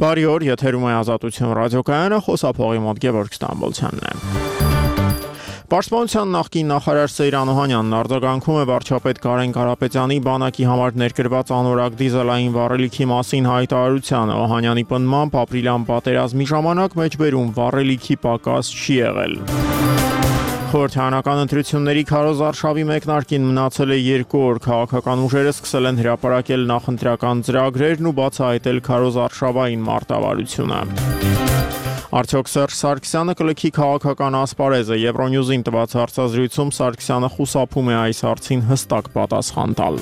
Բարի օր, եթերում է Ազատություն ռադիոկայանը, խոսափողի մոտ Գևորգ Ստամբոլցյանն է։ Պաշտպանության նախկին նախարար Սեյրան Օհանյանն արձագանքում է վարչապետ Կարեն Կարապետյանի բանակի համար ներկրված անորակ դիզելային վառելիքի մասին հայտարարությանը։ Օհանյանի պնդմամբ ապրիլյան պատերազմի ժամանակ մեջբերում վառելիքի պակաս չի եղել։ Խորհրդարանական ընտրությունների քարոզարշավի մեկնարկին մնացել է 2 օր, քաղաքական ուժերը սկսել են հրապարակել նախընտրական ծրագրերն ու բացահայտել քարոզարշավային մարտավարությունը։ Արդյոք Սերժ Սարգսյանը կլքի քաղաքական ասպարեզը։ Եվրոնյուզին տված հարցազրույցում Սարգսյանը խուսափում է այս հարցին հստակ պատասխան տալ։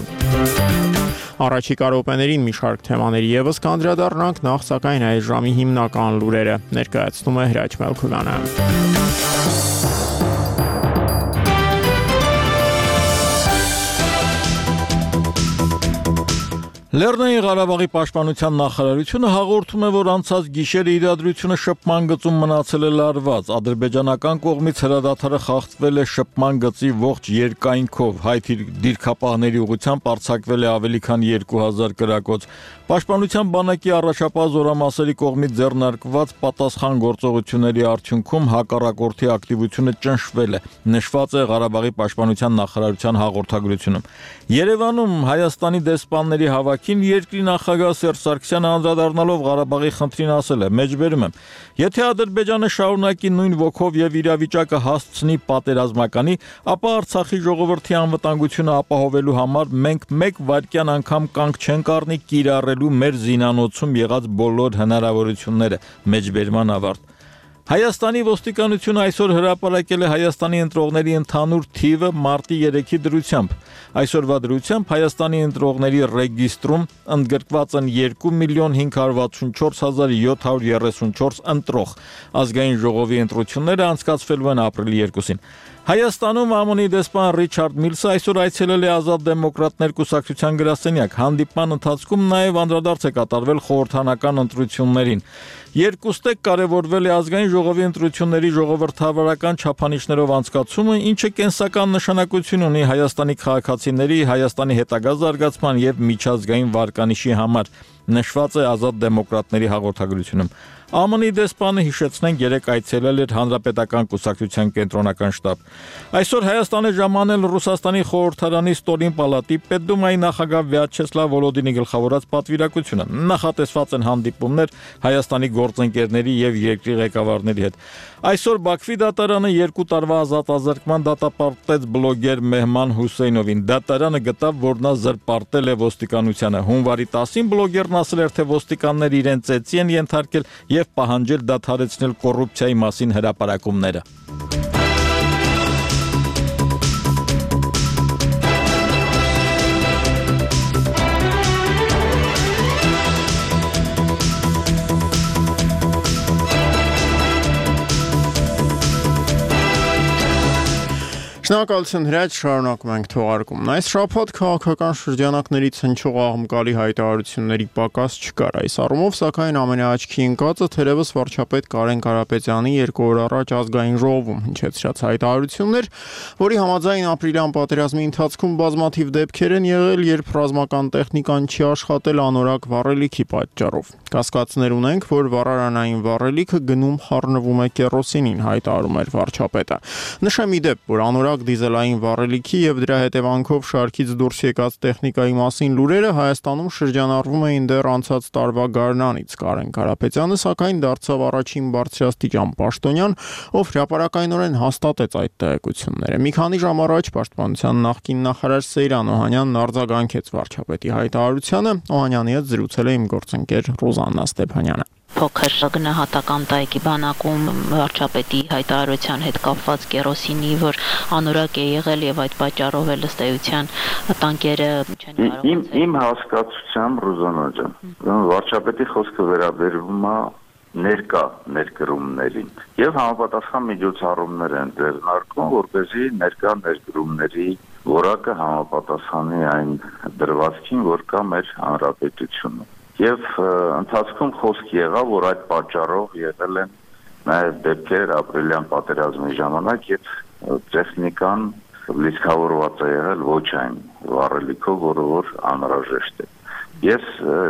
Առաջիկա րոպեներին մի շարք թեմաների ևս կանդրադառնանք, նախ սակայն այս ժամի հիմնական լուրերը ներկայացնում է Հրաչ Մելքովյանը։ Լեռնային Ղարաբաղի պաշտպանության նախարարությունը հաղորդում է, որ անցած գիշերը իրադրությունը շփման գծում մնացել է լարված։ Ադրբեջանական կողմից հրադադարը խախտվել է շփման գծի ողջ երկայնքով, հայ դիրքապահների ուղղությամբ արձակվել է ավելի քան 2000 կրակոց։ Պաշտպանության բանակի առաջապահ զորամասերի կողմից ձեռնարկված պատասխան գործողությունների արդյունքում հակառակորդի ակտիվությունը ճնշվել է, նշված է Ղարաբաղի պաշտպանության նախարարության հաղորդագրությունում։ Երևանում Հայաստանի դեսպանների հավաքին երկրի նախագահ Սերժ Սարգսյանը անդրադառնալով Ղարաբաղի խնդրին ասել է. «Մեջբերում եմ, եթե Ադրբեջանը շարունակի նույն ոգով եւ իրավիճակը հասցնի պատերազմականի, ապա Արցախի ժողովրդի անվտանգությունը ապահովելու համար մենք մեկ վայրկյան անգամ կանգ չենք առնի կիրառելու մեր զինանոցում եղած բոլոր հնարավորությունները»։ Մեջբերման ավարտ։ Հայաստանի ոստիկանությունը այսօր հրապարակել է Հայաստանի ընտրողների ընդհանուր թիվը մարտի 3-ի դրությամբ։ Այսօրվա դրությամբ Հայաստանի ընտրողների ռեգիստրում ընդգրկված են 2,564,734 ընտրող։ Ազգային ժողովի ընտրությունները անցկացվելու են ապրիլի 2-ին։ Հայաստանում ԱՄՆ-ի դեսպան Ռիչարդ Միլսը այսօր այցելել է Ազատ դեմոկրատներ կուսակցության գրասենյակ։ Հանդիպման ընթացքում նաև անդրադարձ է կատարվել խորհրդարանական ընտրություններին։ Երկուստեք կարևորվել է ազգային ժողովի ընտրությունների ժողովրդավարական չափանիշներով անցկացումը, ինչը կենսական նշանակություն ունի Հայաստանի քաղաքացիների, Հայաստանի հետագա զարգացման եւ միջազգային վարկանիշի համար, նշված է Ազատ դեմոկրատների հաղորդագրությունում։ ԱՄՆ-ի դեսպանը հիշեցնենք երեկ այցելել էր Հանրապետական կուսակցության կենտրոնական շտաբ։ Այսօր Հայաստան է ժամանել Ռուսաստանի խորհրդարանի ստորին պալատի Պետդումայի նախագահ Վյաչեսլավ Վոլոդինի գլխավորած պատվիրակությունը։ Նախատեսված են հանդիպումներ Հայաստանի գործընկերների եւ երկրի ղեկավարների հետ։ Այսօր Բաքվի դատարանը 2 տարվա ազատազրկման դատապարտեց բլոգեր Մեհման Հուսեյնովին։ Դատարանը գտավ, որ նա զրպարտել է ոստիկանությանը։ Հունվարի 10-ին բլոգերն ասել էր, թե ոստիկանները իրեն ծեծի են ենթարկել եւ պահանջել դադարեցնել կոռուպցիայի մասին հրապարակումները։ Շնորհակալություն Հրաչ, շարունակում ենք թողարկումն։ Այս շաբաթ քաղաքական շրջանակներից հնչող աղմկալի հայտարարությունների պակաս չկար։ Այս առումով, սակայն ամենաաչքի ընկածը թերևս վարչապետ Կարեն Կարապետյանի 2 օր առաջ ազգային ժողովում հնչեցրած հայտարարություններ, որի համաձայն ապրիլյան պատերազմի ընթացքում բազմաթիվ դեպքեր են եղել, երբ ռազմական տեխնիկան չի աշխատել անորակ վառելիքի պատճառով։ Կասկածներ ունենք, որ վառարանային վառելիքը գնում խառնվում է կերոսինին, հայտարարում էր վարչապետը։ Նշեմ ի դեպ, որ անորակ դիզելային վառելիքի եւ դրա հետևանքով շարքից դուրս եկած տեխնիկայի մասին լուրերը Հայաստանում շրջանառվում էին դեռ անցած տարվա գարնանից։ Կարեն Կարապետյանը սակայն դարձավ առաջին բարձրաստիճան պաշտոնյան, ով հրապարակայնորեն հաստատեց այդ տեղեկությունները։ Մի քանի ժամ առաջ պաշտպանության նախկին նախարար Սեյրան Օհանյանն արձագանքեց վարչապետի հայտարարությանը։ Օհանյանի հետ զրուցել է իմ գործընկեր Ռոզաննա Ստեփանյանը։ Փոքր գնահատական տայքի բանակում վարչապետի հայտարարության հետ կապված կերոսինի, որ անորակ է եղել եւ այդ պատճառով էլ ըստ էության տանկերը չեն կարողացել։ Իմ հասկացությամբ Ռոզաննա ջան, վարչապետի խոսքը վերաբերվում է ներկա ներկրումներին եւ համապատասխան միջոցառումներ են ձեռնարկում, որպեսզի ներկա ներկրումների որակը համապատասխանի այն դրվածքին, որ կա մեր հանրապետությունում։ Եվ ընթացքում խոսք եղավ, որ այդ պատճառով եղել են նաև դեպքեր ապրիլյան պատերազմի ժամանակ, երբ տեխնիկան լիցքավորված է եղել ոչ այն վառելիքով, որը որ անհրաժեշտ է։ Ես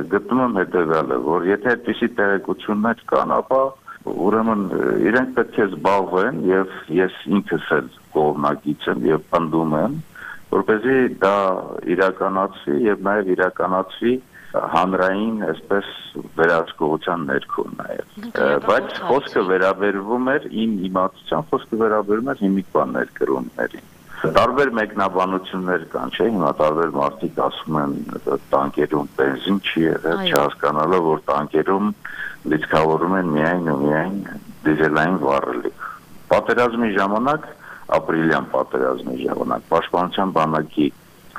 գտնում եմ հետևյալը, որ եթե այդպիսի տեղեկություններ կան, ապա ուրեմն իրենք պետք է զբաղվեն եւ ես ինքս էլ կողմնակից եմ եւ պնդում եմ, որպեսզի դա իրականացվի եւ նաեւ իրականացվի հանրային, այսպես վերահսկողության ներքո նաեւ։ Բայց խոսքը վերաբերվում էր իմ իմացությամբ, խոսքը վերաբերում էր հիմիկվան ներկրումներին։ Տարբեր մեկնաբանություններ կան, չէ՞, հիմա տարբեր մարդիկ ասում են տանկերում բենզին չի եղել, չհասկանալով որ տանկերում լիցքավորում են միայն ու միայն դիզելային վառելիք։ Պատերազմի ժամանակ, ապրիլյան պատերազմի ժամանակ Պաշտպանության բանակի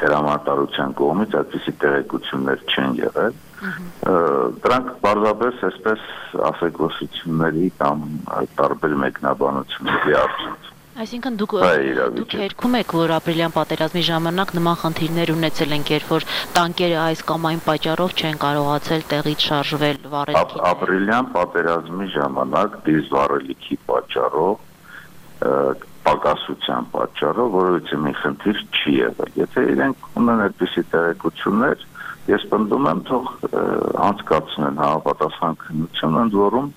հրամանատարության կողմից այդպիսի տեղեկություններ չեն եղել։ Դրանք բարձրապես այսպես ասեկոսությունների կամ տարբեր մեկնաբանությունների արդյունք։ Այսինքն դուք երգում եք, որ ապրիլյան պատերազմի ժամանակ նման խնդիրներ ունեցել են, երբ որ տանկերը այս կամ այն պատճառով չեն կարողացել տեղից շարժվել վառելիքի։ Ապրիլյան պատերազմի ժամանակ դիզվառելիքի պատճառով, պակասության պատճառով որևէ մի խնդիր չի եղել։ Եթե իրենք ունեն այդպիսի տեղեկություններ, ես պնդում եմ թող անցկացնեն համապատասխան քննություն, ընդ որում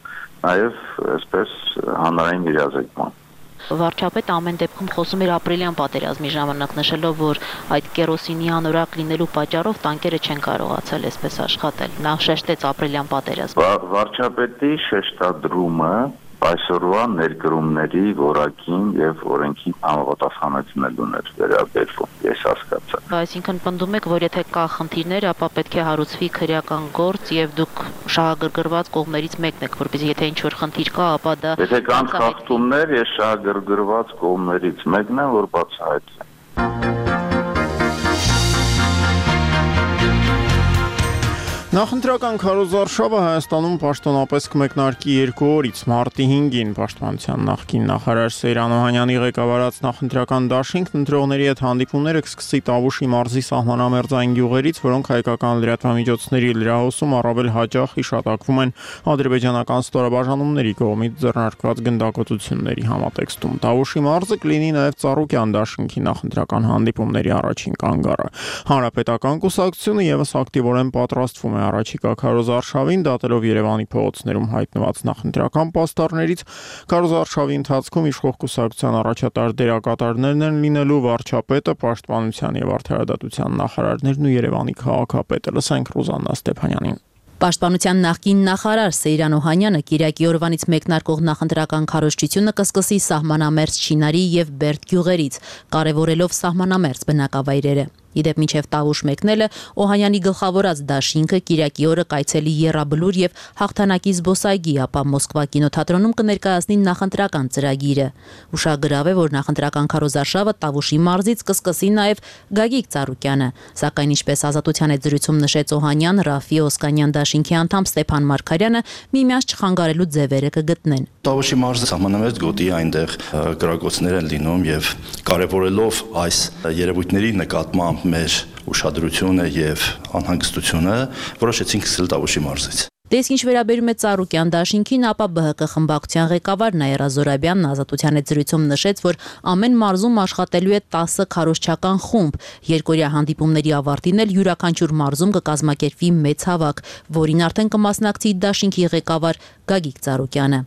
նաև այսպես հանրային իրազեկման։ Վարչապետը ամեն դեպքում խոսում էր ապրիլյան պատերազմի ժամանակ, նշելով, որ այդ կերոսինի անորակ լինելու պատճառով տանկերը չեն կարողացել այսպես աշխատել։ Նա շեշտեց ապրիլյան պատերազմը։ Վարչապետի շեշտադրումը այսօրվա ներկրումների որակին եւ օրենքին համապատասխանեցնելուն էր վերաբերվում, ես հասկացա։ Այսինքն պնդում եք, որ եթե կա խնդիրներ, ապա պետք է հարուցվի քրեական գործ եւ դուք շահագրգռված կողմերից մեկն եք, որպեսզի եթե ինչ-որ խնդիր կա, ապա դա Եթե կան խախտումներ, ես շահագրգռված կողմերից մեկն եմ, որ բացահայտվի։ Նախընտրական քարոզարշավը Հայաստանում պաշտոնապես կմեկնարկի 2 օրից մարտի 5-ին Պաշտպանության նախկին նախարար Սեյրան Օհանյանի ղեկավարած նախընտրական դաշինքն ընտրողների հետ հանդիպումները կսկսի Տավուշի մարզի սահմանամերձային գյուղերից, որոնք հայկական լրատվամիջոցների լրահոսում առավել հաճախ հիշատակվում են ադրբեջանական ստորաբաժանումների կողմից ձեռնարկված գնդակոծությունների համատեքստում։ Տավուշի մարզը կլինի նաև Ծառուկյան դաշինքի նախընտրական հանդիպումների առաջին կանգառը։ Հանրապետական կուսակցությունը եւս ակտիվորեն պատրաստվում է առաջիկա քարոզարշավին, դատելով Երևանի փողոցներում հայտնված նախընտրական պաստառներից, քարոզարշավի ընթացքում իշխող կուսակցության առաջատար դերակատարներն են լինելու վարչապետը, պաշտպանության եւ արդարադատության նախարարներն ու Երևանի քաղաքապետը։ Լսենք Ռուզաննա Ստեփանյանին։ Պաշտպանության նախկին նախարար Սեյրան Օհանյանը Կիրակի օրվանից մեկնարկող նախընտրական քարոզչությունը կսկսի սահմանամերձ Չինարի եւ Բերդ գյուղերից, կարևորելով սահմանամերձ բնակավայրերը։ Իդեպ մինչև Տավուշ մեկնելը Օհանյանի գլխավորած դաշինքը Կիրակի օրը կայցելի Եռաբլուր եւ Հաղթանակի զբոսայգի, ապա Մոսկվա կինոթատրոնում կներկայացնի նախընտրական ծրագիրը։ Ուշագրավ է, որ նախընտրական քարոզարշավը Տավուշի մարզից կսկսի նաեւ Գագիկ Ծառուկյանը, սակայն ինչպես Ազատության հետ զրույցում նշեց Օհանյան, Ռաֆի Օսկանյան դաշինքի անդամ Ստեփան Մարգարյանը միմյանց չխանգարելու ձևերը կգտնեն։ Տավուշի մարզը սահմանամերձ գոտի այնտեղ գրակոծներ են լինում եւ կարևորելով այս երևույթների նկատմամբ մեր ուշադրությունը եւ անհանգստությունը որոշեցինք սկսել Տավուշի մարզից։ Դες ինչ վերաբերում է Ծառուկյան դաշինքին, ապա ԲՀԿ խմբակցության ղեկավար Նաիրա Զորաբյանն Ազատության հետ զրույցում նշեց, որ ամեն մարզում աշխատելու է 10 քարոզչական խումբ։ Երկօրյա հանդիպումների ավարտին էլ յուրաքանչյուր մարզում կկազմակերպվի մեծ հավաք, որին արդեն կմասնակցի դաշինքի ղեկավար Գագիկ Ծառուկյանը։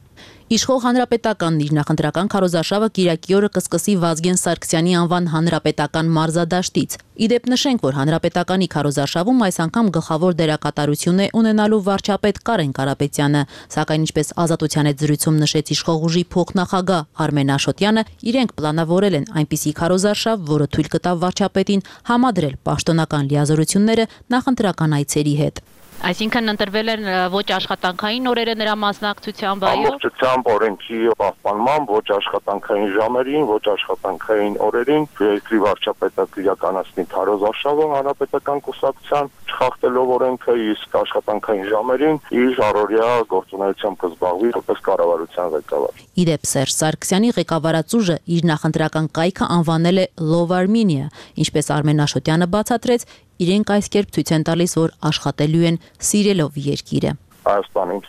Իշխող հանրապետականն իր նախընտրական քարոզարշավը Կիրակի օրը կսկսի Վազգեն Սարգսյանի անվան հանրապետական մարզադաշտից։ Իդեպ նշենք, որ հանրապետականի քարոզարշավում այս անգամ գլխավոր դերակատարություն է ունենալու վարչապետ Կարեն Կարապետյանը, սակայն ինչպես Ազատության հետ զրույցում նշեց իշխող ուժի փոխնախագահ Արմեն Աշոտյանը, իրենք պլանավորել են այնպիսի քարոզարշավ, որը թույլ կտա վարչապետին համադրել պաշտոնական լիազորությունները նախընտրական այցերի հետ։ Այսինքն ընտրվել են ոչ աշխատանքային օրերը նրա մասնակցությամբ, այո։ Ամբողջությամբ օրենքի պահպանման ոչ աշխատանքային ժամերին, ոչ աշխատանքային օրերին երկրի վարչապետը կիրականացնի քարոզարշավը հանրապետական կուսակցության չխախտելով օրենքը, իսկ աշխատանքային ժամերին իր առօրյա գործունեությամբ կզբաղվի որպես կառավարության ղեկավար։ Իդեպ Սերժ Սարգսյանի ղեկավարած ուժը իր նախընտրական կայքը անվանել է Love Armenia, ինչպես Արմեն Աշոտյանը բացատրեց, իրենք այս կերպ ցույց են տալիս, որ աշխատելու են սիրելով երկիրը։ Հայաստանին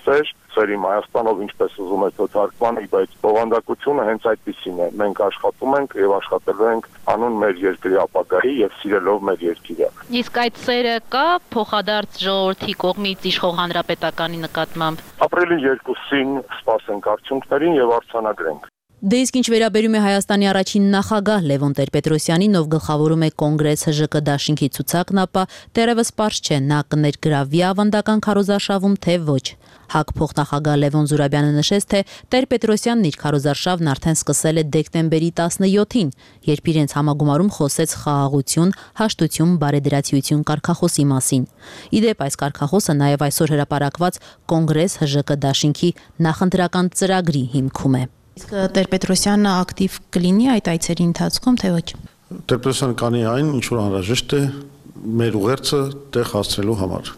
սերիմ Հայաստանով ինչպես ուզում եք թարգմանի, բայց բովանդակությունը հենց այդպիսին է։ Մենք աշխատում ենք եւ աշխատելու ենք անուն մեր երկրի ապագայի եւ սիրելով մեր երկիրը։ Իսկ այդ սերը կա փոխադարձ ժողովրդի կողմից իշխող հանրապետականի նկատմամբ։ Ապրիլի 2-ին սպասենք արդյունքներին եւ արձանագրենք։ Դե իսկ ինչ վերաբերում է Հայաստանի առաջին նախագահ Լևոն Տեր-Պետրոսյանին, ով գլխավորում է Կոնգրես ՀԺԿ դաշինքի ցուցակն, ապա դեռևս պարզ չէ նա կներգրավվի ավանդական քարոզարշավում, թե ոչ։ ՀԱԿ փոխնախագահ Լևոն Զուրաբյանը նշեց, թե Տեր-Պետրոսյանն իր քարոզարշավն արդեն սկսել է դեկտեմբերի 17-ին, երբ իրենց համագումարում խոսեց խաղաղություն, հաշտություն, բարեդրացիություն կարգախոսի մասին։ Իդեպ այս կարգախոսը նաև այսօր հրապարակված Կոնգրես ՀԺԿ դաշինքի նախընտրական ծրագրի հիմքում է։ Իսկ Տեր-Պետրոսյանը ակտիվ կլինի այդ այցերի ընթացքում, թե ոչ։ Տեր-Պետրոսյանը կանի այն, ինչ որ անհրաժեշտ է մեր ուղերձը տեղ հասցնելու համար։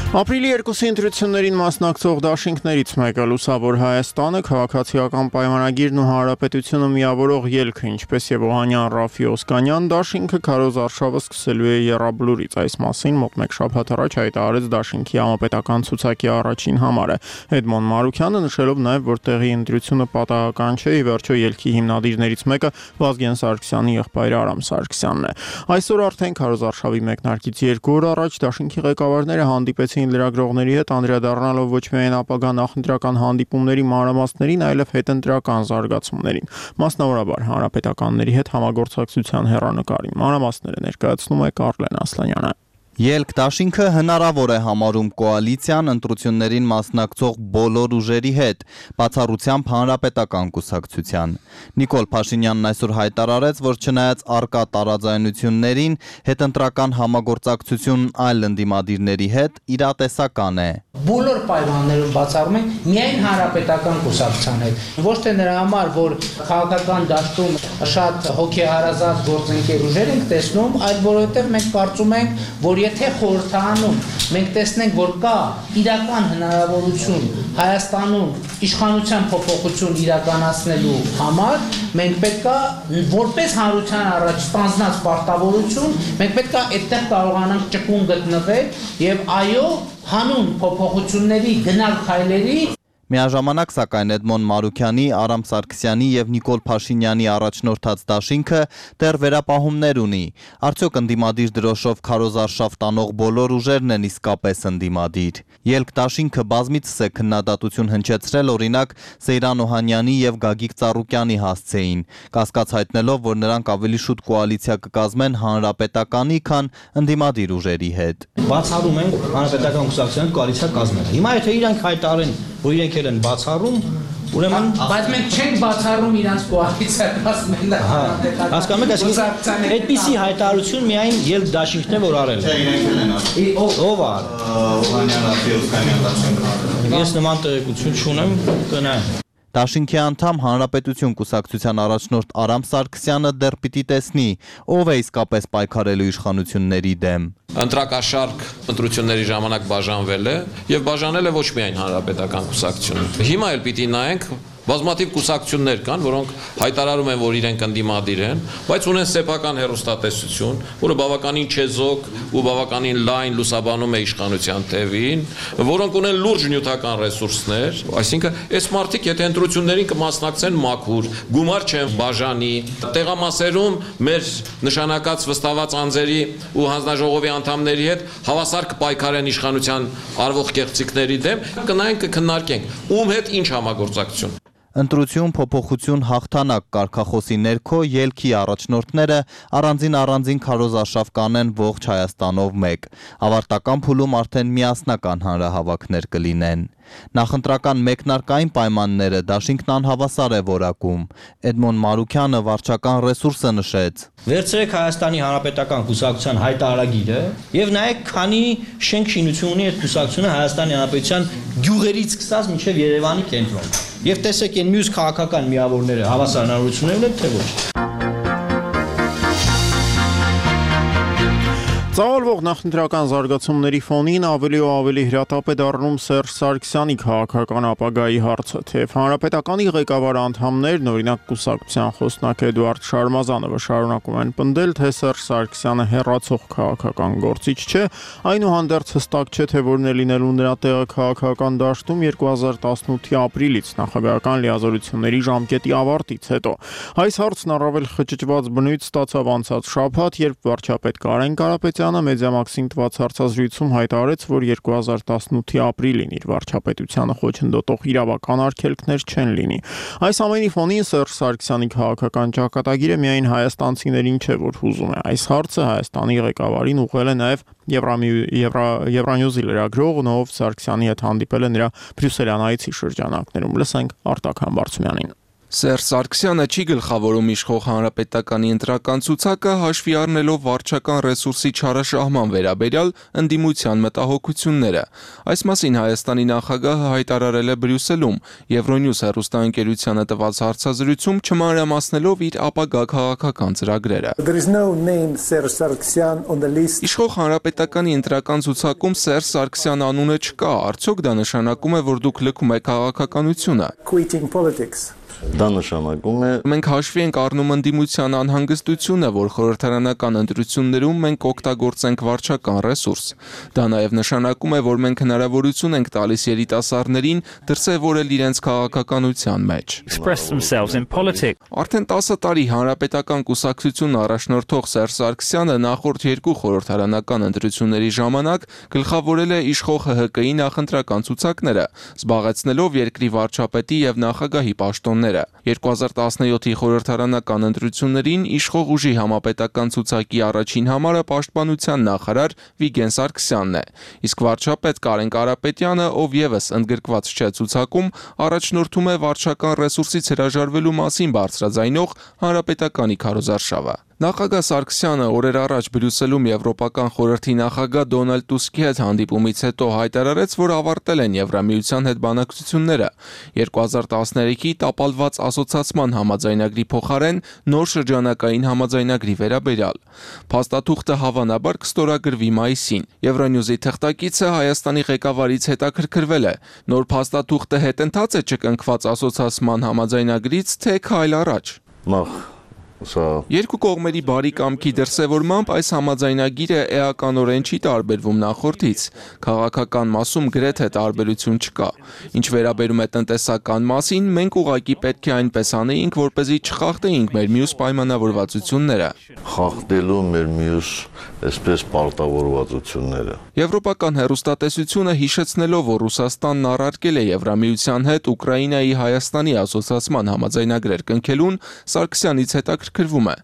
Ապրիլի 2-ի ընտրություններին մասնակցող դաշինքներից մեկը Լուսավոր Հայաստանը, քաղաքացիական պայմանագիրն ու հանրապետությունը միավորող ելքը, ինչպես եւ Օհանյան Ռաֆի Օսկանյան դաշինքը քարոզարշավը սկսելու է Եռաբլուրից։ Այս մասին մոտ մեկ շաբաթ առաջ հայտարարեց դաշինքի համապետական ցուցակի առաջին համարը։ Էդմոն Մարուկյանը նշելով նաեւ, որ տեղի ընտրությունը պատահական չէ, ի վերջո ելքի հիմնադիրներից մեկը Վազգեն Սարգսյանի եղբայր Արամ Սարգսյանն է։ Այսօր արդեն քարոզարշավի մեկնարկից 2 օր առաջ դաշինքի ղեկավարները հանդիպեցին լրագրողների հետ, անդրադառնալով ոչ միայն ապագա նախընտրական հանդիպումների մանրամասներին, այլև հետընտրական զարգացումներին, մասնավորաբար հանրապետականների հետ համագործակցության հեռանկարին։ Մանրամասները ներկայացնում է Կարլեն Ասլանյանը։ Ելք դաշինքը հնարավոր է համարում կոալիցիան ընտրություններին մասնակցող բոլոր ուժերի հետ, բացառությամբ հանրապետական կուսակցության։ Նիկոլ Փաշինյանն այսօր հայտարարեց, որ չնայած առկա տարաձայնություններին, հետընտրական համագործակցություն այլ ընդդիմադիրների հետ իրատեսական է։ Բոլոր պայմաններում բացառում ենք միայն հանրապետական կուսակցության հետ։ Ոչ թե նրա համար, որ քաղաքական դաշտում շատ հոգեհարազատ գործընկեր ուժեր ենք տեսնում, այլ որովհետև մենք կարծում ենք, որ եթե խորհրդարանում մենք տեսնենք, որ կա իրական հնարավորություն Հայաստանում իշխանության փոփոխություն իրականացնելու համար, մենք պետք է որպես հանրության առաջ ստանձնած պարտավորություն, մենք պետք է այդտեղ կարողանանք ճկուն գտնվել եւ այո, հանուն փոփոխությունների գնալ քայլերի։ Միաժամանակ սակայն Էդմոն Մարուկյանի, Արամ Սարգսյանի եւ Նիկոլ Փաշինյանի առաջնորդած դաշինքը դեռ վերապահումներ ունի։ Արդյոք ընդդիմադիր դրոշով քարոզարշավ տանող բոլոր ուժերն են իսկապես ընդդիմադիր։ Ելք դաշինքը բազմիցս է քննադատություն հնչեցրել, օրինակ Սեյրան Օհանյանի եւ Գագիկ Ծառուկյանի հասցեին, կասկած հայտնելով, որ նրանք ավելի շուտ կոալիցիա կկազմեն հանրապետականի, քան ընդդիմադիր ուժերի հետ։ Բացառում են հանրապետական կուսակցության կոալիցիա կազմելը։ Հիմա եթե իրանք հայտարարեն, որ իրենք են բացառում, ուրեմն բայց մենք չենք բացառում իրանց կոալիցիա կազմելը։ Հասկանում եք, այսինքն այդպիսի հայտարարություն միայն ելք դաշինքն է, որ արել է։ Ով է։ Օհանյան Ռաֆի Օսկանյան դաշինքն։ Ես նման տեղեկություն չունեմ, կնայեմ։ Դաշինքի անդամ Հանրապետություն կուսակցության առաջնորդ Արամ Սարգսյանը դեռ պիտի տեսնի, ով է իսկապես պայքարելու իշխանությունների դեմ։ Ընտրակաշարք ընտրությունների ժամանակ բաժանվել է եւ բաժանել է ոչ միայն հանրապետական կուսակցությունը։ Հիմա էլ պիտի նայենք բազմաթիվ կուսակցություններ կան, որոնք հայտարարում են, որ իրենք ընդդիմադիր են, բայց ունեն սեփական հեռուստատեսություն, որը բավականին չեզոք ու բավականին լայն լուսաբանում է իշխանության թևին, որոնք ունեն լուրջ նյութական ռեսուրսներ, այսինքն այս մարդիկ եթե ընտրություններին կմասնակցեն մաքուր, գումար չեն բաժանի, տեղամասերում մեր նշանակած վստահված անձերի ու հանձնաժողովի անդամների հետ հավասար կպայքարեն իշխանության արվող կեղծիքների դեմ, կնայենք կքննարկենք, ում հետ ինչ համագործակցություն։ Ընտրություն, փոփոխություն, հաղթանակ կարգախոսի ներքո ելքի առաջնորդները առանձին քարոզարշավ կանեն ողջ Հայաստանով մեկ։ Ավարտական փուլում արդեն միասնական հանրահավաքներ կլինեն։ Նախընտրական մեկնարկային պայմանները դաշինքն անհավասար է որակում։ Էդմոն Մարուկյանը վարչական ռեսուրսը նշեց։ Վերցրեք Հայաստանի Հանրապետական կուսակցության հայտարարագիրը եւ նայեք, քանի շենք շինություն ունի այդ կուսակցությունը Հայաստանի Հանրապետության գյուղերից սկսած մինչեւ Երևանի կենտրոն։ Եվ տեսեք այն մյուս քաղաքական միավորները հավասար հնարավորություններ ունեն, թե ոչ։ Ծավալվող նախընտրական զարգացումների ֆոնին ավելի ու ավելի հրատապ է դառնում Սերժ Սարգսյանի քաղաքական ապագայի հարցը, թեև հանրապետականի ղեկավար անդամներն, օրինակ կուսակցության խոսնակ Էդուարդ Շարմազանովը շարունակում են պնդել, թե Սերժ Սարգսյանը հեռացող քաղաքական գործիչ չէ, այնուհանդերձ հստակ չէ, թե որն է լինելու նրա տեղը քաղաքական դաշտում 2018-ի ապրիլից նախագահական լիազորությունների ժամկետի ավարտից հետո։ Այս հարցն առավել խճճված բնույթ ստացավ անցած շաբաթ, երբ վարչապետ Կարեն Կարապետյանը Մեդիամաքսին տված հարցազրույցում հայտարարեց, որ 2018-ի ապրիլին իր վարչապետությանը խոչընդոտող իրավական արգելքներ չեն լինի։ Այս ամենի ֆոնին Սերժ Սարգսյանի քաղաքական ճակատագիրը միայն հայաստանցիներին չէ, որ հուզում է։ Այս հարցը Հայաստանի ղեկավարին ուղղել է նաև Եվրանյուզի լրագրող Նով Սարգսյանի հետ հանդիպել է նրա բրյուսելյան այցի շրջանակներում։ Լսենք Արտակ Համբարձումյանին։ Սերժ Սարգսյանը չի գլխավորում իշխող հանրապետականի ընտրական ցուցակը հաշվի առնելով վարչական ռեսուրսի չարաշահման վերաբերյալ ընդդիմության մտահոգությունները։ Այս մասին Հայաստանի նախագահը հայտարարել է Բրյուսելում Եվրոնյուզ հեռուստաընկերությանը տված հարցազրույցում, չմանրամասնելով իր ապագա քաղաքական ծրագրերը։ Իշխող հանրապետականի ընտրական ցուցակում Սերժ Սարգսյան անունը չկա, արդյոք դա նշանակում է, որ դուք լքում եք քաղաքականությունը։ Դա նշանակում է մենք հաշվի ենք առնում ընդդիմության անհանգստությունը, որ խորհրդարանական ընտրություններում մենք օգտագործենք վարչական ռեսուրս։ Դա նաև նշանակում է, որ մենք հնարավորություն ենք տալիս երիտասարդներին դրսևորել իրենց քաղաքականության մեջ։ Արդեն 10 տարի հանրապետական կուսակցություն առաջնորդող Սերժ Սարգսյանը նախորդ երկու խորհրդարանական ընտրությունների ժամանակ գլխավորել է իշխող ՀՀԿ-ի նախընտրական ցուցակները, զբաղեցնելով երկրի վարչապետի եւ նախագահի պաշտոնները։ 2017-ի խորհրդարանական ընտրություններին իշխող ուժի համապետական ցուցակի առաջին համարը պաշտպանության նախարար Վիգեն Սարգսյանն է, իսկ վարչապետ Կարեն Կարապետյանը, ով եւս ընդգրկված չէ ցուցակում, առաջնորդում է վարչական ռեսուրսից հրաժարվելու մասին բարձրաձայնող հանրապետականի քարոզարշավը։ Նախագահ Սարգսյանը օրեր առաջ Բրյուսելում Եվրոպական խորհրդի նախագահ Դոնալդ Տուսկի հետ հանդիպումից հետո հայտարարեց, որ ավարտել են Եվրամիության հետ բանակցությունները 2013-ի տապալված ասոցիացման համաձայնագրի փոխարեն նոր շրջանակային համաձայնագրի վերաբերյալ։ Փաստաթուղթը հավանաբար կստորագրվի մայիսին։ Եվրոնյուզի թղթակիցը Հայաստանի ղեկավարից հետաքրքրվել է. նոր փաստաթուղթը հետընթաց է չկնքված ասոցիացման համաձայնագրից, թե քայլ առաջ։ Երկու կողմերի բարի կամքի դրսևորմամբ այս համաձայնագիրը էականորեն չի տարբերվում նախորդից։ Քաղաքական մասում գրեթե տարբերություն չկա։ Ինչ վերաբերում է տնտեսական մասին, մենք ուղղակի պետք է այնպես անեինք, որպեսզի չխախտեինք մեր մյուս պայմանավորվածությունները։ Խախտելու մեր մյուս այսպես պարտավորվածությունները։ Եվրոպական հեռուստատեսությունը հիշեցնելով, որ Ռուսաստանն առարկել է Եվրամիության հետ Ուկրաինայի Հայաստանի ասոցիացման համաձայնագրեր կնքելուն, Սարգսյանից հետաքրքրվում է.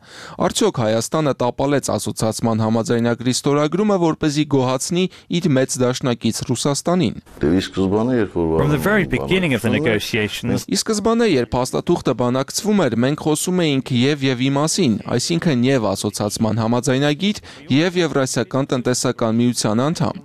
արդյոք Հայաստանը տապալեց ասոցիացման համաձայնագրի ստորագրումը, որպեսզի գոհացնի իր մեծ դաշնակից Ռուսաստանին։ Ի սկզբանե, երբ փաստաթուղթը բանակցվում էր, մենք խոսում էինք եւ մասին, այսինքն եւ ասոցիացման համաձայնագիր եւ Եվրասիական տնտեսական միության անդամ։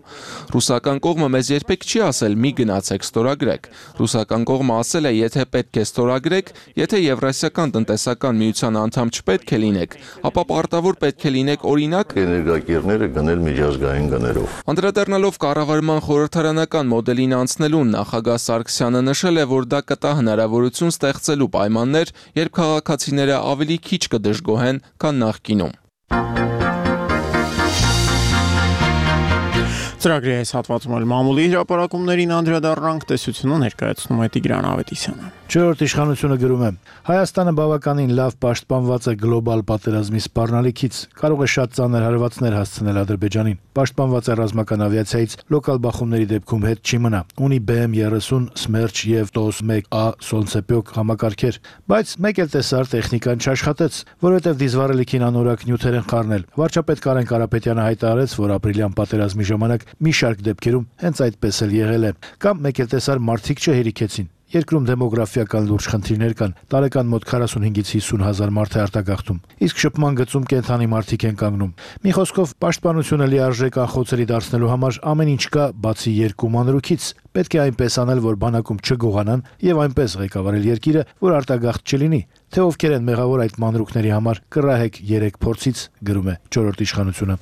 Ռուսական կողմը մեզ երբեք չի ասել՝ մի գնացեք ստորագրեք։ Ռուսական կողմը ասել է, եթե պետք է ստորագրեք, եթե Եվրասիական տնտեսական միության անդամ չպետք է լինեք, ապա պարտավոր պետք է լինեք օրինակ էներգակիրները գնել միջազգային գներով։ Անդրադառնալով կառավարման խորհրդարանական մոդելին անցնելուն նախագահ Սարգսյանը նշել է, որ դա կտա հնարավորություն ստեղծելու պայմաններ, երբ քաղաքացիները ավելի քիչ կդժգոհեն, քան նախկինում։ Ծրագրի այս հատվածում էլ մամուլի հրապարակումներին անդրադառնանք, տեսությունը ներկայացնում է Տիգրան Ավետիսյանը։ Չորրորդ իշխանությունը գրում է. Հայաստանը բավականին լավ պաշտպանված է գլոբալ պատերազմի սպառնալիքից, կարող է շատ ծանր հարվածներ հասցնել Ադրբեջանին։ Պաշտպանված է ռազմական ավիացիայից, լոկալ բախումների դեպքում հետ չի մնա։ Ունի BM-30, Smerch եւ TOS-1A Solntsepyok համակարգեր, բայց մեկ էլ տեսար տեխնիկան չաշխատեց, որովհետեւ դիզվառելիքին անորակ նյութեր են խառնել։ Վարչապետ Կարեն Կարապետյանը հայտարարեց, որ ապրիլյան պատերազմի ժամանակ մի շարք դեպքերում հենց այդպես էլ եղել է։ Կամ մեկ էլ տեսար մարդիկ չհերիքեցին։ Երկրում դեմոգրաֆիական լուրջ խնդիրներ կան, տարեկան մոտ 45-ից 50 հազար մարդ է արտագաղթում, իսկ շփման գծում կենթանի մարդիկ են կանգնում։ Մի խոսքով, պաշտպանությունը լիարժեք անխոցելի դարձնելու համար ամեն ինչ կա, բացի երկու մանրուքից։ Պետք է այնպես անել, որ բանակում չգողանան եւ այնպես ղեկավարել երկիրը, որ արտագաղթ չլինի։ Թե ովքեր են մեղավոր այդ մանրուքների համար, կռահեք 3 փորձից, գրում է Չորրորդ իշխանությունը։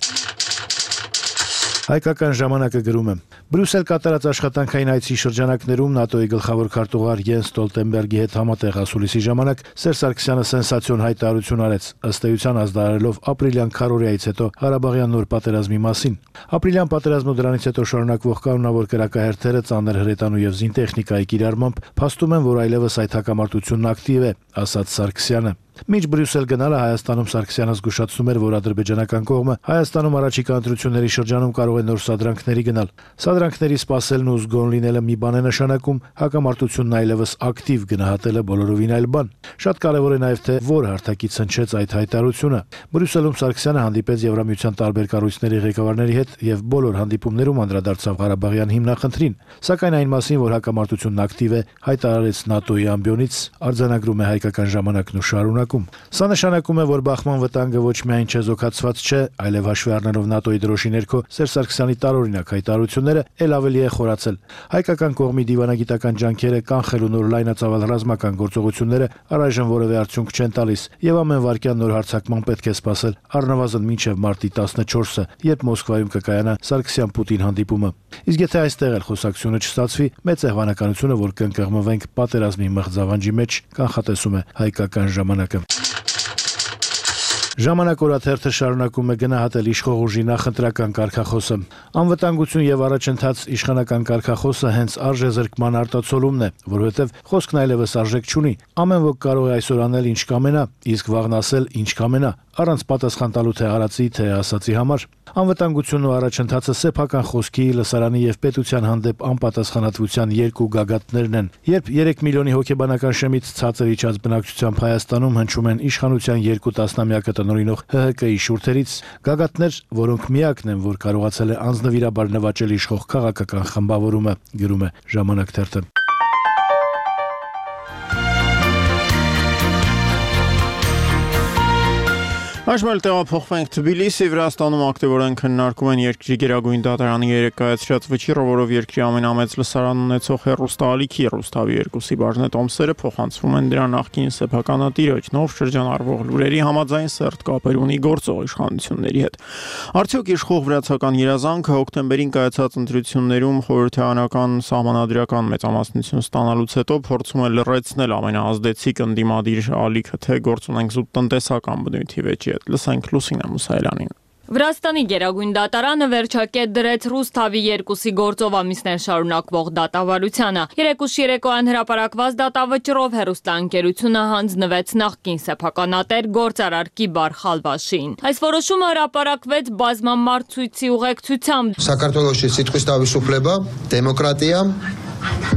Հայկական ժամանակը գրում է. Բրյուսել կատարած աշխատանքային այցի շրջանակներում ՆԱՏՕ-ի գլխավոր քարտուղար Յենս Ստոլտենբերգի հետ համատեղ ասուլիսի ժամանակ Սերժ Սարգսյանը սենսացիոն հայտարարություն արեց, ըստ էության ազդարարելով ապրիլյան քարոզիայից հետո Ղարաբաղյան նոր պատերազմի մասին։ Ապրիլյան պատերազմը դրանից հետո շարունակվող կանոնավոր կրակահերթերը, ծանր հրետանու եւ զինտեխնիկայի կիրառմամբ փաստում են, որ այլևս այդ հակամարտությունն ակտիվ է, ասաց Սարգսյանը։ Մինչ Բրյուսել գնալը Հայաստանում Սարգսյանը զգուշացնում էր, որ ադրբեջանական կողմը Հայաստանում առաջիկա ընտրությունների շրջանում կարող է նոր սադրանքների գնալ։ Սադրանքների սպասելն ու զգոն լինելը մի բան է նշանակում, հակամարտությունն այլևս ակտիվ գնահատելը բոլորովին այլ բան։ Շատ կարևոր է նաև թե որ հարթակից հնչեց այդ հայտարարությունը։ Բրյուսելում Սարգսյանը հանդիպեց Եվրամիության տարբեր կառույցների ղեկավարների հետ եւ բոլոր հանդիպումներում անդրադարձավ Ղարաբաղյան հիմնախնդրին, սակայն այն մասին, որ հակամարտությունն ակտիվ է, հայտարարեց ՆԱՏՕ-ի ամբիոնից, արձանագրում է Հայկական ժամանակն ու շարունակ։ Սա նշանակում է, որ բախման վտանգը ոչ միայն չեզոքացված չէ, այլև հաշվի առնելով ՆԱՏՕ-ի դրոշի ներքո Սերժ Սարգսյանի տարօրինակ հայտարարությունները ել ավելի է խորացել։ Հայկական կողմի դիվանագիտական ջանքերը կանխելու նոր լայնածավալ ռազմական գործողությունները առայժմ որևէ արդյունք չեն տալիս, եւ ամեն վայրկյան նոր հարձակման պետք է սպասել առնվազն մինչև մարտի 14-ը, երբ Մոսկվայում կկայանա Սարգսյան-Պուտին հանդիպումը։ Իսկ եթե այստեղ էլ խոսակցությունը չստացվի, մեծ է հավանականությունը, որ կընկղմվենք պատերազմի մղձավանջի մեջ, կանխատեսում է Հայկական ժամանակը։ Ժամանակ օրաթերթը շարունակում է գնահատել իշխող ուժի նախընտրական կարգախոսը։ Անվտանգություն եւ առաջընթաց իշխանական կարգախոսը հենց արժեզրկման արտացոլումն է, որովհետեւ խոսքն այլևս արժեք չունի։ Ամեն ոք կարող է այսօր անել ինչ կամենա, իսկ վաղն ասել ինչ կամենա, առանց պատասխան տալու թե արածի, թե ասացի համար։ Անվտանգությունն ու առաջընթացը սեփական խոսքի, լսարանի եւ պետության հանդեպ անպատասխանատվության երկու գագաթներն են։ Երբ 3 միլիոնի հոգեբանական շեմից ցածր իջած բնակչությամբ Հայաստանում հնչում են իշխանության 2 տասնամյակը տնօրինող ՀՀԿ-ի շուրթերից, գագաթներ, որոնք միակն են, որ կարողացել է անձնվիրաբար նվաճել իշխող քաղաքական խմբավորումը, գրում է Ժամանակ թերթը։ Այժմ տեղափոխվենք Թբիլիսի, Վրաստանում ակտիվորեն քննարկում են երկրի գերագույն դատարանի երեկայացրած վճիռը, որով երկրի ամենամեծ լսարան ունեցող հեռուստաալիքի Ռուսթավի 2-ի բաժնետոմսերը փոխանցվում են դրա նախկին սեփականատիրոջ, նով շրջանառվող լուրերի համաձայն սերտ կապեր ունի գործող իշխանությունների հետ։ Արդյոք իշխող վրացական երազանքը հոկտեմբերին կայացած ընտրություններում խորհրդարանական սահմանադրական մեծամասնություն ստանալուց հետո փորձում է լրացնել ամենաազդեցիկ ընդդիմադիր ալիքը, թե գործ ունենք զուտ տնտեսական բնույթի վեճի։ Լսենք Լուսինե Մուսայելյանին։ Վրաստանի գերագույն դատարանը վերջակետ դրեց Ռուսթավի 2-ի գործով ամիսներ շարունակվող դատավարությանը։ Երեկուշ երեկոյան հրապարակված դատավճռով հեռուստաընկերությունը հանձնվեց նախկին սեփականատեր գործարար Կիբար Խալվաշին։ Այս որոշումը հրապարակվեց բազմամարդ ցույցի ուղեկցությամբ։ Սակարտվելոշի սիտկույս տավիսուփլեբա, դեմոկրատիա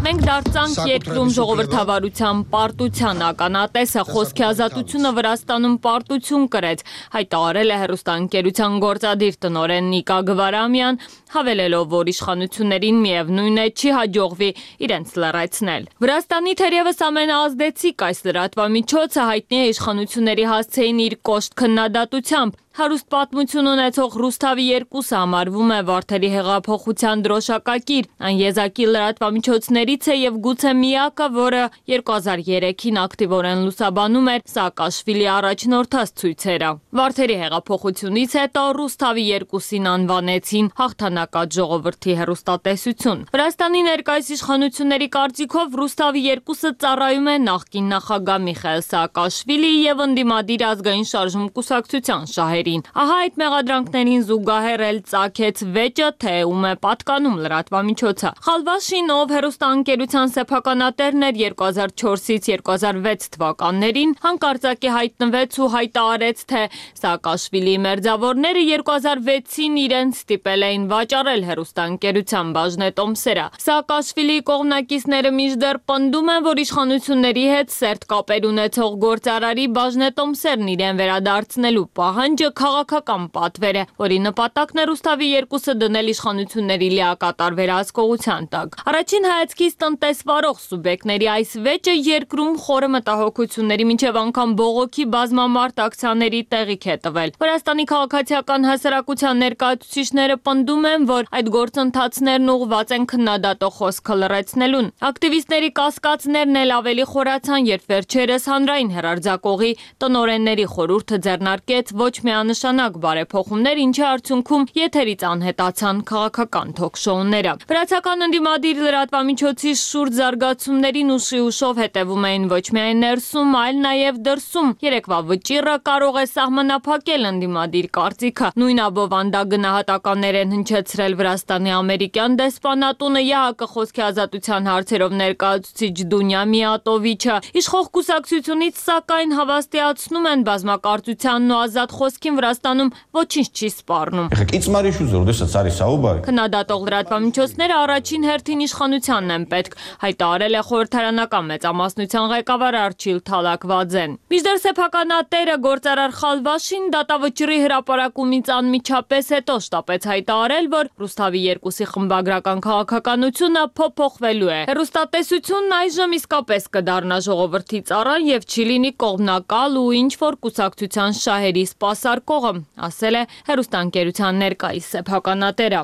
Մենք դարձանք երկրում ժողովրդավարության պարտության ականատեսը, խոսքի ազատությունը Վրաստանում պարտություն կրեց, հայտարարել է հեռուստաընկերության գործադիր տնօրեն Նիկա Գվարամյան, հավելելով, որ իշխանություններին միևնույն է չի հաջողվի իրենց լրացնել։ Վրաստանի թերևս ամենաազդեցիկ այս լրատվամիջոցը հայտնի է իշխանությունների հասցեին իր կոշտ քննադատությամբ։ Հարուստ պատմություն ունեցող Ռուսթավի 2-ը համարվում է Վարդերի հեղափոխության դրոշակակիր, այն եզակի լրատվամիջոցներից է եւ գուցե միակը, որը 2003-ին ակտիվորեն լուսաբանում էր Սաակաշվիլի առաջնորդած ցույցերը։ Վարդերի հեղափոխությունից հետո Ռուսթավի 2-ին անվանեցին հաղթանակած ժողովրդի հեռուստատեսություն։ Վրաստանի ներկայիս իշխանությունների կարծիքով Ռուսթավի 2-ը ծառայում է նախկին նախագահ Միխայել Սաակաշվիլիի եւ ընդդիմադիր ազգային շարժում կուսակցության շահերին։ Ահա այդ մեղադրանքներին զուգահեռ էլ ծագեց վեճը, թե ում է պատկանում լրատվամիջոցը։ Խալվաշին, ով հեռուստաընկերության սեփականատերն էր 2004-ից 2006 թվականներին, հանկարծակի հայտնվեց ու հայտարարեց, թե Սաակաշվիլիի մերձավորները 2006-ին իրենց ստիպել էին վաճառել հեռուստաընկերության բաժնետոմսերը։ Սաակաշվիլիի կողմնակիցները մինչդեռ պնդում են, որ իշխանությունների հետ սերտ կապեր ունեցող գործարարի բաժնետոմսերն իրեն վերադարձնելու պահանջը քաղաքական պատվեր է, որի նպատակն է Ռուսթավի 2-ը դնել իշխանությունների լիակատար վերահսկողության տակ։ Առաջին հայացքից տնտեսվարող սուբյեկտների այս վեճը երկրում խորը մտահոգությունների մինչև անգամ բողոքի բազմամարդ ակցիաների տեղիք է տվել։ Վրաստանի քաղաքացիական հասարակության ներկայացուցիչները պնդում են, որ այդ գործընթացներն ուղղված են քննադատող խոսքը լրացնելուն։ Ակտիվիստների կասկածներն էլ ավելի խորացան, երբ վերջերս հանրային հեռարձակողի տնօրենների խորհուրդը ձեռնարկեց ոչ մի միանշանակ բարեփոխումներ, ինչի արդյունքում եթերից անհետացան քաղաքական թոքշոուները։ Վրացական ընդդիմադիր լրատվամիջոցի շուրջ զարգացումներին ուշով հետևում էին ոչ միայն ներսում, այլ նաև դրսում։ Երեկվա վճիռը կարող է սահմանափակել ընդդիմադիր կարծիքը։ Նույն աբովանդա գնահատականներ են հնչեցրել Վրաստանի ամերիկյան դեսպանատունը, ԵԱՀԿ խոսքի ազատության հարցերով ներկայացուցիչ Դունյա Միատովիչը։ Իշխող կուսակցությունից սակայն հավաստիացնում են բազմակարծությանն ու ազատ խոսքին Վրաստանում ոչինչ չի սպառնում։ Քննադատող լրատվամիջոցները առաջին հերթին իշխանությանն են պետք, հայտարարել է խորհրդարանական մեծամասնության ղեկավար Արչիլ Թալակվաձեն։ Մինչդեռ սեփականատերը գործարար Խալվաշին դատավճռի հրապարակումից անմիջապես հետո շտապեց հայտարարել, որ Ռուսթավի 2-ի խմբագրական քաղաքականությունը փոփոխվելու է։ Հեռուստատեսությունն այժմ իսկապես կդառնա ժողովրդի ծառան եւ չի լինի կողմնակալ ու ինչ-որ կուսակցության շահերի սպասարկողը, ասել է հեռուստաընկերության ներկայիս սեփականատերը։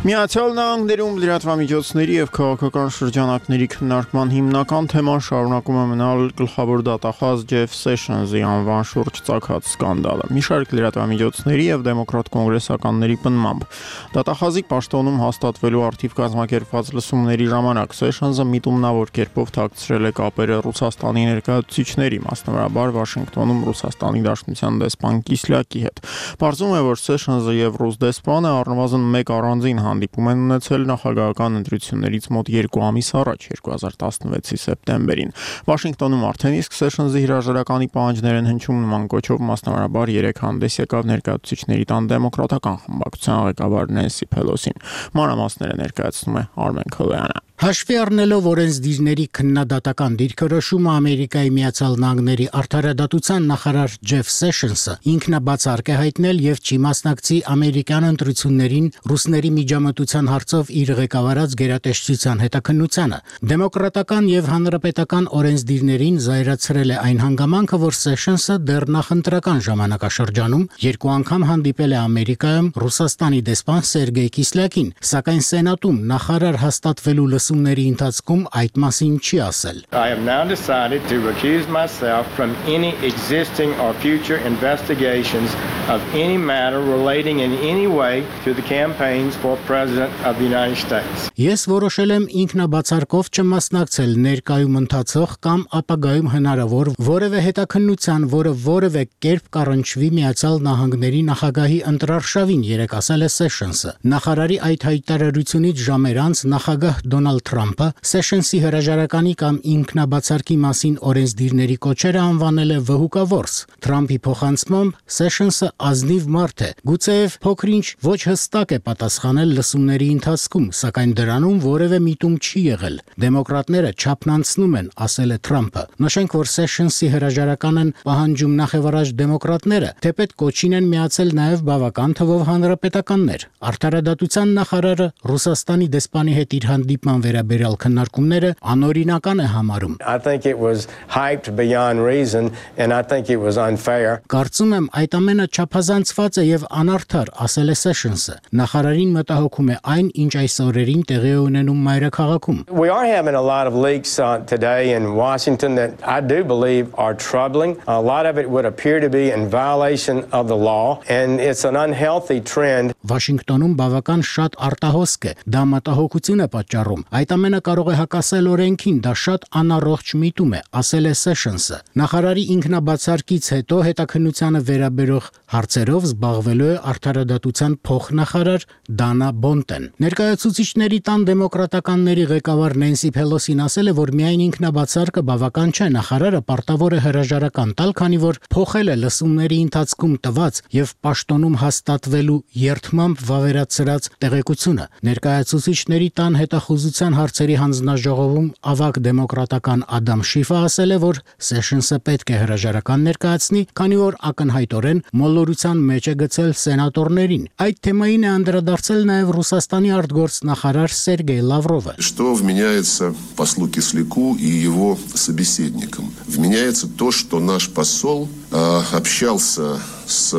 Միացյալ Նահանգներում լրատվամիջոցների եւ քաղաքական շրջանակների քննարկման հիմնական թեման շարունակում է մնալ գլխավոր դատախազ Ջեֆ Սեշնսի անվան շուրջ ծագած սկանդալը։ Մի շարք լրատվամիջոցների եւ դեմոկրատ կոնգրեսականների պնդմամբ դատախազի պաշտոնում հաստատվելու արդիվ կազմակերպված լսումների ժամանակ Սեշնսը միտումնավոր կերպով թաքցրել է կապերը Ռուսաստանի ներկայացուցիչների, մասնավորաբար Վաշինգտոնում Ռուսաստանի Դաշնության դեսպան Կիսլյակի հետ։ Պարզվում է, որ Սեշնսը եւ ռուս դեսպանը առնվազն մեկ առանձին հանդիպում են ունեցել նախագահական ընտրություններից մոտ 2 ամիս առաջ 2016-ի սեպտեմբերին։ Վաշինգտոնում արդեն իսկ Սեշնսի հրաժարականի պահանջներ են հնչում նման կոչով, մասնավորաբար 3 հանդես եկավ ներկայացուցիչների տան դեմոկրատական խմբակցության ղեկավար Նենսի Փելոսին։ Մանրամասները ներկայացնում է Արմեն Քոլոյանը։ Հաշվի առնելով օրենսդիրների քննադատական դիրքորոշումը Ամերիկայի Միացյալ Նահանգների արդարադատության նախարար Ջեֆ Սեշնսը ինքնաբացարկ է հայտնել եւ չի մասնակցի ամերիկյան ընտրություններին ռուսների միջամտության հարցով իր ղեկավարած գերատեսչության հետաքննությանը։ Դեմոկրատական եւ հանրապետական օրենսդիրներին զայրացրել է այն հանգամանքը, որ Սեշնսը դեռ նախընտրական ժամանակաշրջանում 2 անգամ հանդիպել է Ամերիկայում Ռուսաստանի դեսպան Սերգեյ Կիսլյակին, սակայն Սենատում նախարար հաստատվելու լսումների ընթացքում այդ մասին չի ասել։ I have now decided to recuse myself from any existing or future investigations of any matter relating in any way to the campaigns for President of the United States. Ես որոշել եմ ինքնաբացարկով չմասնակցել ներկայում ընթացող կամ ապագայում հնարավոր որևէ հետաքննության, որը որևէ կերպ կառնչվի Միացյալ Նահանգների նախագահի ընտրարշավին, երեկ ասել է Սեշնսը։ Նախարարի այդ հայտարարությունից ժամեր անց նախագահ Դոնալդ Թրամփը Սեշնսի հրաժարականի կամ ինքնաբացարկի մասին օրենսդիրների կոչերը անվանել է վհուկավորս։ Թրամփի փոխանցմամբ Սեշնսը ազնիվ մարդ է, գուցեև փոքրինչ ոչ հստակ է պատասխանել լսումների ընթացքում, սակայն դրանում որևէ միտում չի եղել։ Դեմոկրատները չափնանցնում են, ասել է Թրամփը։ Նշենք, որ Սեշնսի հրաժարական են պահանջում նախևառաջ դեմոկրատները, թեպետ կոչին են միացել նաև բավական թվով հանրապետականներ։ Արդարադատության նախարարը Ռուսաստանի դեսպանի հետ իր հանդիպման վերաբերյալ քննարկումները անօրինական է համարում։ I think it was hyped beyond reason and I think it was unfair. Կարծում եմ այդ ամենը չափազանցված է եւ անարդար, ասել է Սեշնսը։ Նախարարին մտահոգում է այն, ինչ այս օրերին տեղի է ունենում մայրաքաղաքում։ We are having a lot of leaks today in Washington that I do believe are troubling. A lot of it would appear to be in violation of the law and it's an unhealthy trend. Վաշինգտոնում բավական շատ արտահոսք է, դա մտահոգություն է պատճառում։ Այդ ամենը կարող է հակասել օրենքին, դա շատ անառողջ միտում է, ասել է Սեշնսը։ Նախարարի ինքնաբացարկից հետո հետաքննությանը վերաբերող հարցերով զբաղվելու է արդարադատության փոխնախարար Դանա Բոնտեն։ Ներկայացուցիչների տան դեմոկրատականների ղեկավար Նենսի Փելոսին ասել է, որ միայն ինքնաբացարկը բավական չէ, նախարարը պարտավոր է հրաժարական տալ, քանի որ փոխել է լսումների ընթացքում տված եւ պաշտոնում հաստատվելու երդմամբ վավերացրած տեղեկությունը։ Ներկայացուցիչների տան հետախուզության հարցերի հանձնաժողովում ավագ դեմոկրատական Ադամ Շիֆը ասել է, որ Սեշնսը պետք է հրաժարական ներկայացնի, քանի որ ակնհայտորեն մոլորության մեջ է գցել սենատորներին։ Այդ թեմային է անդրադարձել նաև Ռուսաստանի արտգործնախարար Սերգեյ Լավրովը։ Что вменяется послу Кисляку и его собеседникам? Вменяется то, что наш посол общался с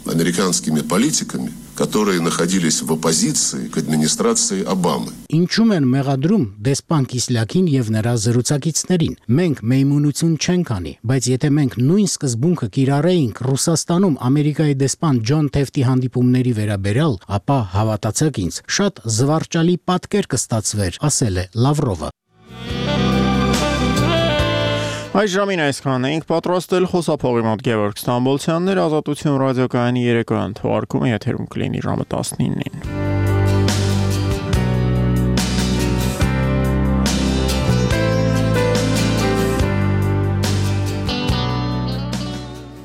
американскими политиками, которые находились в оппозиции к администрации Обамы. Ինչու՞մ են մեղադրում դեսպան Կիսլյակին եւ նրա զրուցակիցներին։ Մենք մեյմունություն չենք անի, բայց եթե մենք նույն սկզբունքը կիրառեինք Ռուսաստանում Ամերիկայի դեսպան Ջոն Թեֆթի հանդիպումների վերաբերյալ, ապա հավատացեք ինձ, շատ զվարճալի պատկեր կստացվեր, ասել է Լավրովը։ Այս ժամին այսքանն էինք պատրաստել խոսափողի մոտ Գևորգ Ստամբոլցյաններ, Ազատություն ռադիոկայանի երեկոյան թողարկումը եթերում կլինի ժամը 19-ին։